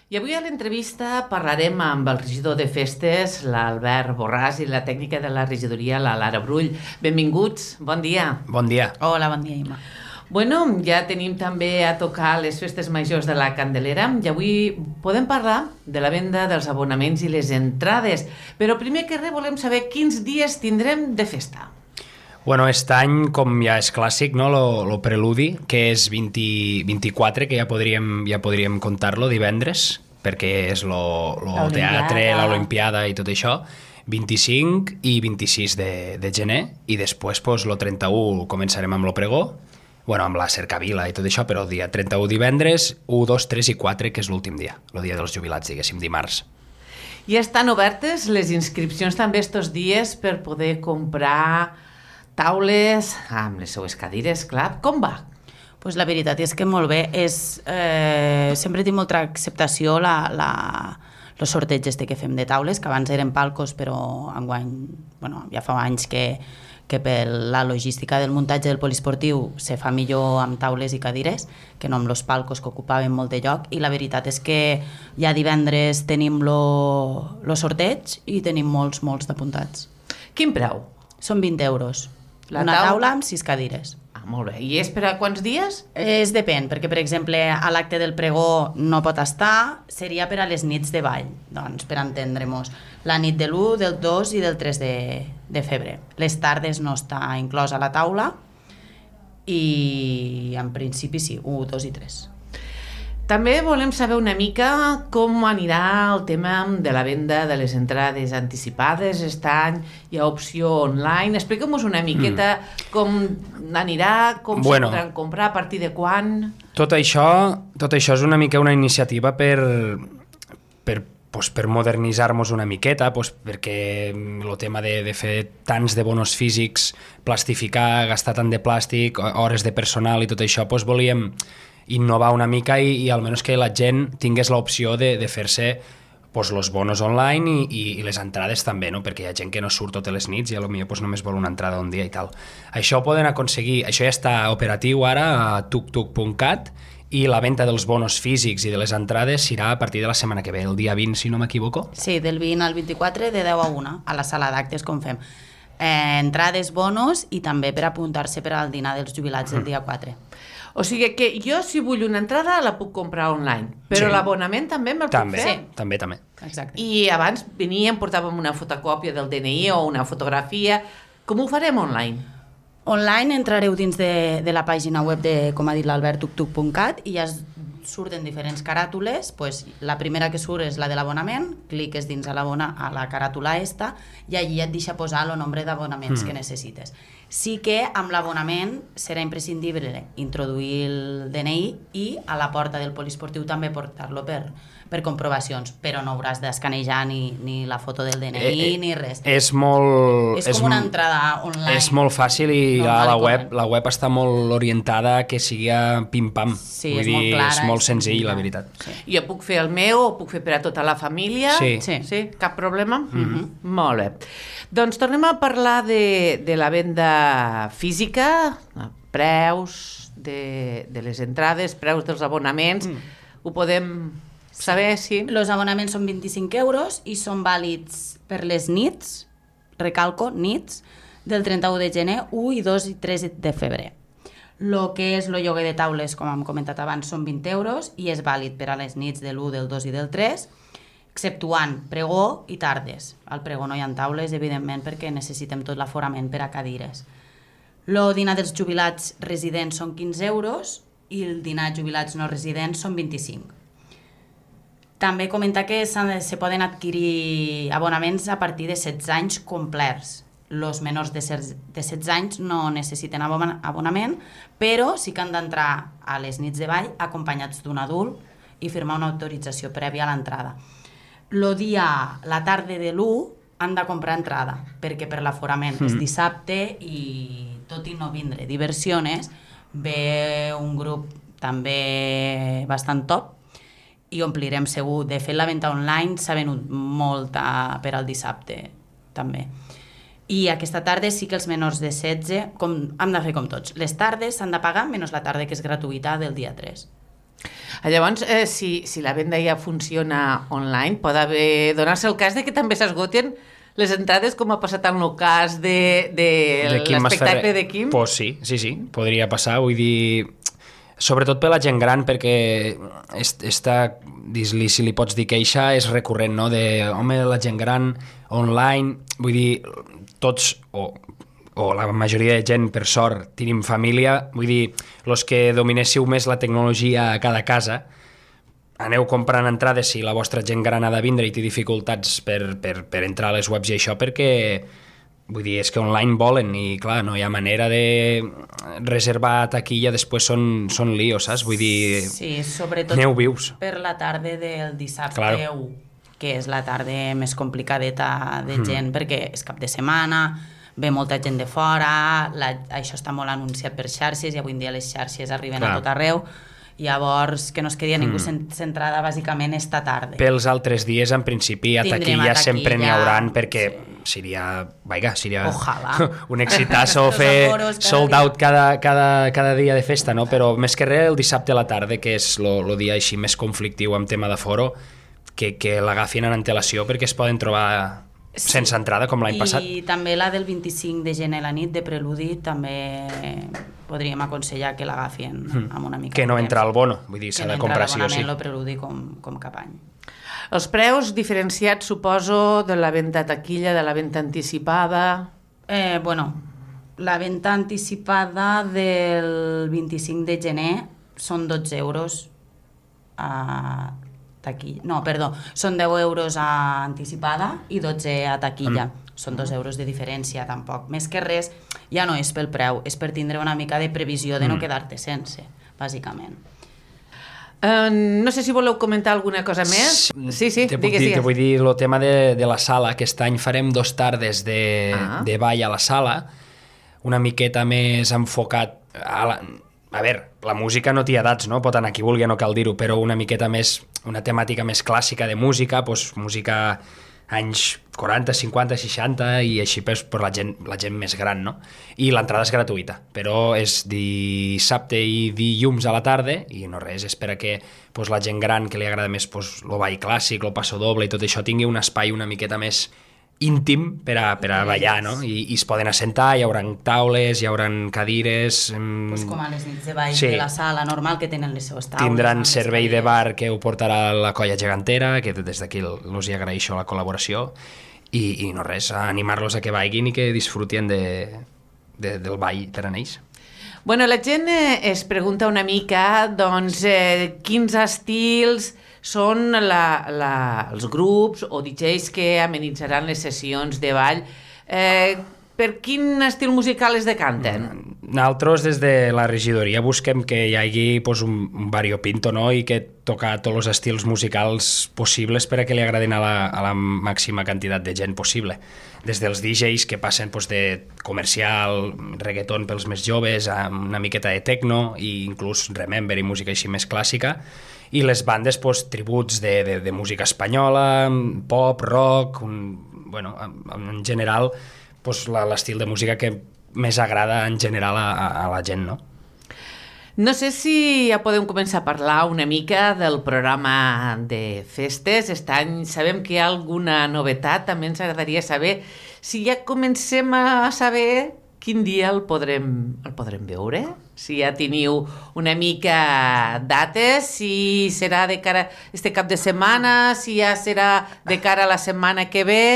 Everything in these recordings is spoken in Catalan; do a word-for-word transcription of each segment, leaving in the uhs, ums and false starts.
I avui a l'entrevista parlarem amb el regidor de festes, l'Albert Borràs, i la tècnica de la regidoria, la Lara Brull. Benvinguts, bon dia. Bon dia. Hola, bon dia, Imma. Bueno, ja tenim també a tocar les festes majors de la Candelera i avui podem parlar de la venda dels abonaments i les entrades. Però primer que res volem saber quins dies tindrem de festa. Bueno, aquest any, com ja és clàssic, no, lo, lo preludi, que és vint, vint-i-quatre, que ja podríem, ja podríem contar-lo, divendres, perquè és lo, lo teatre, l'Olimpiada i tot això, vint-i-cinc i vint-i-sis de, de gener, i després, pues, lo trenta-u començarem amb lo pregó, bueno, amb la cercavila i tot això, però el dia trenta-u divendres, u, dos, tres i quatre, que és l'últim dia, el dia dels jubilats, diguéssim, dimarts. I estan obertes les inscripcions també estos dies per poder comprar taules amb les seues cadires, clar. Com va? Pues la veritat és que molt bé. És, eh, sempre tinc molta acceptació la, la, els sorteigs este que fem de taules, que abans eren palcos, però enguany, bueno, ja fa anys que, que per la logística del muntatge del poliesportiu se fa millor amb taules i cadires que no amb els palcos que ocupaven molt de lloc, i la veritat és que ja divendres tenim lo, lo sorteig i tenim molts, molts d'apuntats. Quin preu? Són vint euros. La Una taula? taula amb sis cadires. Ah, molt bé. I és per a quants dies? Es depèn, perquè, per exemple, a l'acte del pregó no pot estar, seria per a les nits de ball, doncs, per entendre-nos. La nit de l'u, del dos i del tres de, de febrer. Les tardes no està inclosa a la taula i, en principi, sí, u, dos i tres. També volem saber una mica com anirà el tema de la venda de les entrades anticipades. Aquest any hi ha opció online. Expliquem-nos una miqueta mm. com anirà, com bueno, se podran comprar, a partir de quan... Tot això, tot això és una mica una iniciativa per, per, pues, per modernitzar-nos una miqueta, pues, perquè el tema de, de fer tants de bonos físics, plastificar, gastar tant de plàstic, hores de personal i tot això, pues, volíem innovar una mica i, i almenys que la gent tingués l'opció de, de fer-se pues, los bonos online i, i, i les entrades també, no? Perquè hi ha gent que no surt totes les nits i potser pues, només vol una entrada un dia i tal. Això ho poden aconseguir, això ja està operatiu ara a tuk tuk punt cat i la venda dels bonos físics i de les entrades serà a partir de la setmana que ve, el dia vint, si no m'equivoco. Sí, del vint al vint-i-quatre, de deu a una, a la sala d'actes, com fem. Eh, entrades, bonos i també per apuntar-se per al dinar dels jubilats mm. el dia quatre. O sigui que jo, si vull una entrada, la puc comprar online, però sí. L'abonament també me'l també, puc fer? Sí. També, també. Exacte. I abans veníem, portàvem una fotocòpia del D N I o una fotografia. Com ho farem online? Online entrareu dins de, de la pàgina web de, com ha dit l'Albert, tuk tuk punt cat, i ja es surten diferents caràtules. Pues, la primera que surt és la de l'abonament, cliques dins a, a la caràtula esta i allí et deixa posar el nombre d'abonaments mm. que necessites. Sí que amb l'abonament serà imprescindible introduir el D N I i a la porta del poliesportiu també portar-lo per, per comprovacions, però no hauràs d'escanejar ni, ni la foto del D N I eh, eh, ni res. És molt... És com és una entrada online. És molt fàcil i la, la, web, la web està molt orientada que sigui pim-pam. Sí, Vull és dir, molt clara. És molt és senzill, senzilla. La veritat. Sí. Jo puc fer el meu, o puc fer per a tota la família? Sí. Sí. Sí? Cap problema? Mm-hmm. Molt bé. Doncs tornem a parlar de, de la venda física, preus de, de les entrades, preus dels abonaments. Mm. Ho podem saber, sí? Els abonaments són vint-i-cinc euros i són vàlids per les nits, recalco, nits, del trenta-u de gener, u i dos i tres de febrer. El que és el lloguer de taules, com hem comentat abans, són vint euros i és vàlid per a les nits de l'u, del dos i del tres, exceptuant pregó i tardes. Al pregó no hi ha taules, evidentment, perquè necessitem tot l'aforament per a cadires. El dinar dels jubilats residents són quinze euros i el dinar de jubilats no residents són vint-i-cinc. També comentar que se poden adquirir abonaments a partir de setze anys complerts. Els menors de setze anys no necessiten abonament, però sí que han d'entrar a les nits de ball acompanyats d'un adult i firmar una autorització prèvia a l'entrada. El dia, la tarda de l'u, han de comprar entrada, perquè per l'aforament mm. és dissabte i tot i no vindre diversiones, ve un grup també bastant top i omplirem segur. De fet, la venda online s'ha venut molt a, per al dissabte, també. I aquesta tarda sí que els menors de setze, com, hem de fer com tots. Les tardes s'han de pagar, menys la tarda que és gratuïta del dia tres. Llavors, eh, si, si la venda ja funciona online, pot haver donar-se el cas de que també s'esgoten les entrades, com ha passat en el cas de, de, de l'espectacle de Quim? Pues sí, sí, sí, podria passar, vull dir, sobretot per la gent gran, perquè està, dis-li, si li pots dir queixa, és recurrent, no?, de, home, la gent gran, online, vull dir, tots, o, o la majoria de gent, per sort, tenim família, vull dir, els que dominéssiu més la tecnologia a cada casa, aneu comprant entrades si la vostra gent gran ha de vindre i té dificultats per, per, per entrar a les webs i això, perquè vull dir, és que online volen i clar, no hi ha manera de reservar taquilla, després són, són líos, saps? Vull dir, sí, sobretot aneu vius. Per la tarda del dissabte claro. u, que és la tarda més complicadeta de gent, mm. perquè és cap de setmana, ve molta gent de fora, la, això està molt anunciat per xarxes i avui en dia les xarxes arriben clar. A tot arreu. Llavors, que no es quedi a ningú mm. centrada bàsicament esta tarda. Pels altres dies, en principi, a Tindrem taquilla, a taquilla sempre n'hi hauran, perquè sí. seria, vaiga, seria Ojalà. un exitazo fer sold out cada, cada, cada dia de festa, no? Però més que res el dissabte a la tarda, que és el dia així més conflictiu amb tema d'aforo, que, que l'agafin en antelació perquè es poden trobar sí. sense entrada, com l'any passat. I també la del vint-i-cinc de gener a la nit, de preludi, també podríem aconsellar que l'agafin mm. amb una mica que no de entra al bono, vull dir, s'ha no de comprar sí o sí. Que no entra l'abonament, el preludi com, com cap any. Els preus diferenciats, suposo, de la venda a taquilla, de la venda anticipada... Eh, bueno, la venda anticipada del vint-i-cinc de gener són dotze euros a taquilla. No, perdó, són deu euros a anticipada i dotze a taquilla. Mm. Són dos euros de diferència, tampoc. Més que res, ja no és pel preu, és per tindre una mica de previsió de no mm. quedar-te sense, bàsicament. Uh, no sé si voleu comentar alguna cosa més. Sí, sí, te digues, dir, digues. Te vull dir el tema de, de la sala. Aquest any farem dos tardes de, ah. de ball a la sala, una miqueta més enfocat a la... A veure, la música no té edats, no? Pot anar qui vulgui, no cal dir-ho, però una miqueta més, una temàtica més clàssica de música, doncs música anys quaranta, cinquanta, seixanta i així per, per la, gent, la gent més gran, no? I l'entrada és gratuïta, però és dissabte i dilluns a la tarda i no res, és per a que pues, la gent gran que li agrada més pues, el ball clàssic, el passo doble i tot això tingui un espai una miqueta més íntim per a, per a ballar, no? I, i es poden assentar, hi haurà taules, hi haurà cadires... Pues com a les nits de ball sí. de la sala normal que tenen les seves taules. Tindran servei de bar que ho portarà la colla gegantera, que des d'aquí els hi agraeixo la col·laboració, i, i no res, animar-los a que vagin i que disfrutin de, de, del ball per a ells. Bueno, la gent eh, es pregunta una mica, doncs, eh, quins estils són la, la, els grups o D Js que amenitzaran les sessions de ball. Eh, per quin estil musical es decanten? Nosaltres, des de la regidoria, busquem que hi hagi pues, un, un variopinto, no? I que toca tots els estils musicals possibles per a que li agradin a la, a la màxima quantitat de gent possible. Des dels D Js que passen pues, de comercial, reggaeton pels més joves, a una miqueta de techno i inclús remember i música així més clàssica, i les bandes pues, tributs de, de, de música espanyola, pop, rock, un, bueno, en, en general pues, l'estil de música que més agrada en general a, a la gent, no? No sé si ja podem començar a parlar una mica del programa de festes. Aquest any sabem que hi ha alguna novetat, també ens agradaria saber si ja comencem a saber quin dia el podrem, el podrem veure, si ja teniu una mica dates, si serà de cara a este cap de setmana, si ja serà de cara a la setmana que ve...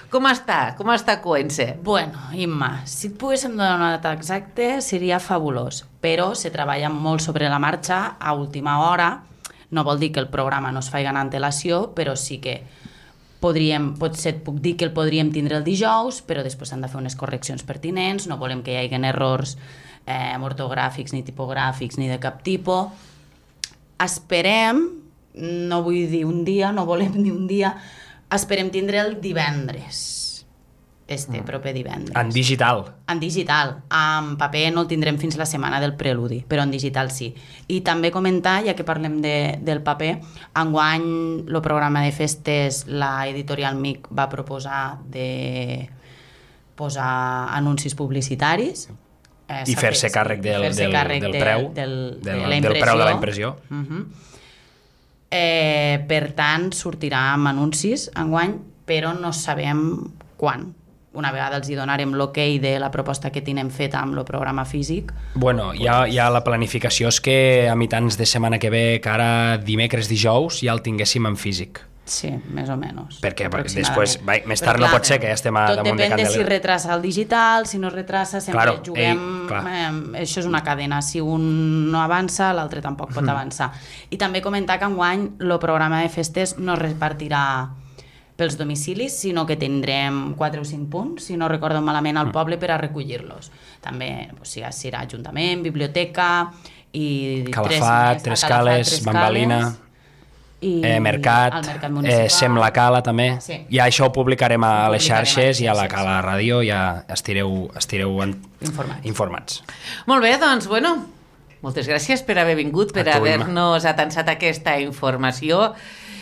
Com està? Com està coent-se? Bueno, Imma, si et poguéssim donar una data exacta seria fabulós, però se treballa molt sobre la marxa a última hora. No vol dir que el programa no es faci en antelació, però sí que podríem, potser et puc dir que el podríem tindre el dijous, però després han de fer unes correccions pertinents, no volem que hi hagi errors eh, ortogràfics ni tipogràfics ni de cap tipus. Esperem, no vull dir un dia, no volem dir un dia, esperem tindre el divendres, este proper divendres. En digital? En digital. En paper no el tindrem fins la setmana del preludi, però en digital sí. I també comentar, ja que parlem de, del paper, enguany el programa de festes, la editorial M I C va proposar de posar anuncis publicitaris eh, i fer-se càrrec del, fer-se del, càrrec del de, preu, del, del, de la del impressió. preu de la impressió. Uh-huh. eh, per tant, sortirà amb anuncis enguany, però no sabem quan. Una vegada els hi donarem l'ok de la proposta que tenim feta amb el programa físic. Bueno, hi ha, hi ha la planificació és que a mitjans de setmana que ve, que ara dimecres, dijous, ja el tinguéssim en físic. Sí, més o menys. Perquè després, vai, més tard no pot ser que ja estem a tot damunt de depèn de Candelera. si retrasa el digital, si no retrasa, sempre Claro, juguem... ei, clar. eh, això és una cadena, si un no avança, l'altre tampoc pot avançar. I també comentar que enguany el programa de festes no es repartirà pels domicilis, sinó que tindrem quatre o cinc punts, si no recordo malament, al poble per a recollir-los. També o sigui, serà Ajuntament, Biblioteca i Calafat, Tres Cales, Bambalina, i eh, Mercat, al Mercat Municipal. eh, Sem la Cala també. Sí. I això ho publicarem a Ho les publicarem xarxes a les i a la xarxes. Cala Ràdio ja estireu, estireu en... Informats. informats. Molt bé, doncs, bueno, moltes gràcies per haver vingut, per A tu, haver-nos atansat aquesta informació.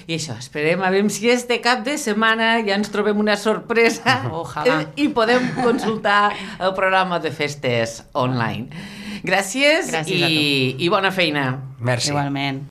I això, esperem a veure si este cap de setmana ja ens trobem una sorpresa Ojalà. i podem consultar el programa de festes online. Gràcies, Gràcies a i, i bona feina. Merci. Igualment.